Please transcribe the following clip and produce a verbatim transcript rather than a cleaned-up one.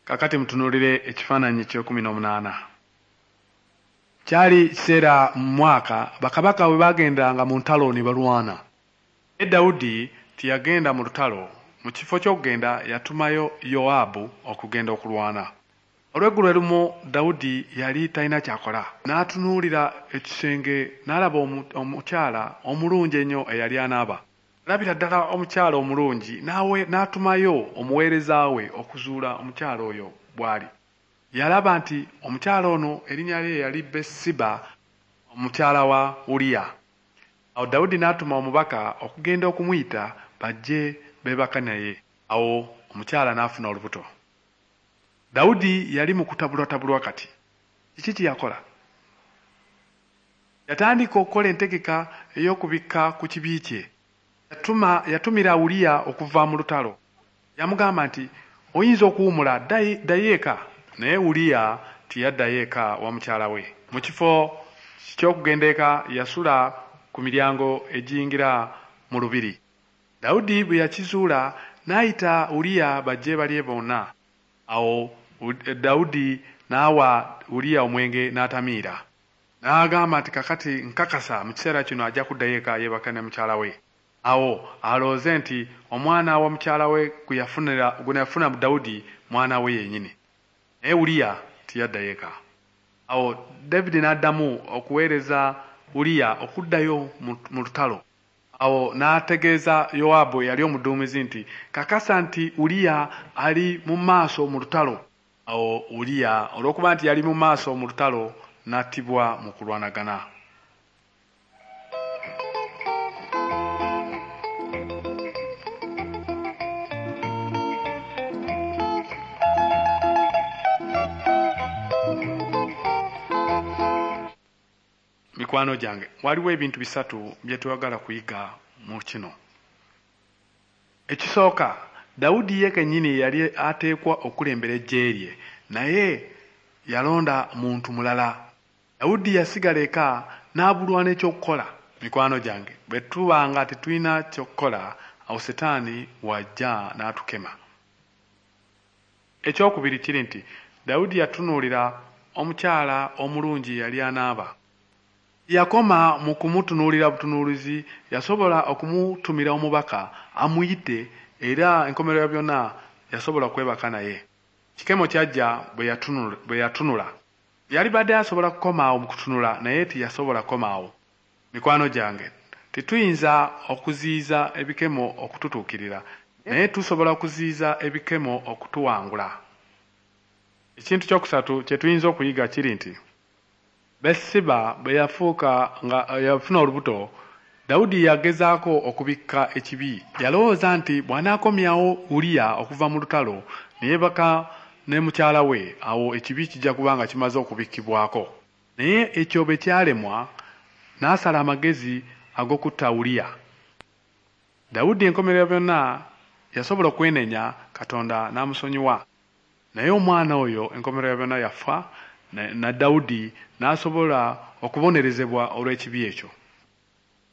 Kakati mutunuulire ekifaananyi eky'ekumi n'omunaana. Kyali kiseera mu mwaka bakabaka bwe baagendanga mu ntalo ne balwana. Naye Dawudi teyagenda mu lutalo. Mu kifo ky'okugenda yatumayo Yowaabu okugenda okulwana. Olweggulo lumu Dawudi yali talina ky'akola. N'atunuulira ekisenge n'alaba omukyala omulungi ennyo eyali anaaba. Alabira ddala omukyala omulungi n'awe n'atumayo omuweereza we okuzuula omukyala oyo bw'ali. Yalaba nti omukyala ono erinnya lye yali Besiba omukyala wa Uliya. Awo Dawudi n'atuma omubaka okugenda okumuyita bajje beebaka naye. Awo omukyala n'afuna olubuto. Dawudi yali mu kutabulwatabulwa kati. Kiki kye yakola? Yatandika okukola entegeka ey'okubikka ku kibi kye. Yatuma yatumira Uliya okuva mu lutalo. Yamugamba nti oyinza okuwummula ddayo eka. Naye Uliya teyaddayo eka wa mukyala we. Mu kifo ky'okugenda eka yasula ku miryango egiyingira mu lubiri. Dawudi bwe yakizuula n'ayita Uliya bajje balye bonna. Awo Dawudi n'awa Uliya omwenge n'atamiira. N'agamba nti kakati nkakasa mu kiseera kino ajja kuddayo eka yeebake ne mukyala we. Awo alowooze nti omwana wa mukyala we gwe yafuna mu Dawudi mwana we yennyini. Naye Uliya teyaddayo eka. Awo David n'addamu okuweereza Uliya okuddayo mu lutalo. Awo n'ategeeza Yowaabu eyali omuduumizi nti kakasa nti Uliya ali mu maaso mu lutalo. Awo Uliya olw'okuba nti yali mu maaso mu lutalo n'attibwa mu kulwanagana. Mikwano gyange, waliwo ebintu bisatu bye twagala kuyiga mu kino. Ekisooka, Dawudi ye kennyini yali ateekwa okulembera eggye lye, naye yalonda muntu mulala. Dawudi yasigala eka n'abulwa n'ekyokukola. Mikwano gyange, bwe tuba nga tetulina ky'okukola, awo Setaani w'ajja n'atukema. Ekyokubiri kiri nti Dawudi yatunuulira omukyala omulungi eyali anaaba. Yakoma mu kumutunuulira butunuulizi, yasobola okumutumira omubaka amuyite era enkomerero ya byonna yasobola okwebaka naye. Kikemo kyajja bwe yatunula. Yali badde asobola kukomaawo mu kutunula naye teyasobola kukomaawo. Mikwano gyange, tetuyinza okuziyiza ebikemo okututuukirira, naye tusobola okuziyiza ebikemo okutuwangula. Ekintu kyokusatu kye tuyinza okuyiga kiri nti Besiba bwe yafuuka nga yafuna olubuto, Dawudi yagezaako okubikka ekibi. Yalowooza nti bw'anaakomyawo Uliya okuva mu lutalo ne yeebaka ne mukyala we, awo ekibi kijja kuba nga kimaze okubikkibwako. Naye ekyo bwe kyalemwa, n'asala amagezi ag'okutta Uliya. Dawudi enkomerero byonna yasobola okwenenya Katonda n'amusonyiwa. Naye omwana oyo enkomerero byonna yafa na Dawudi n'asobola okubonerezebwa olw'ekibi ekyo.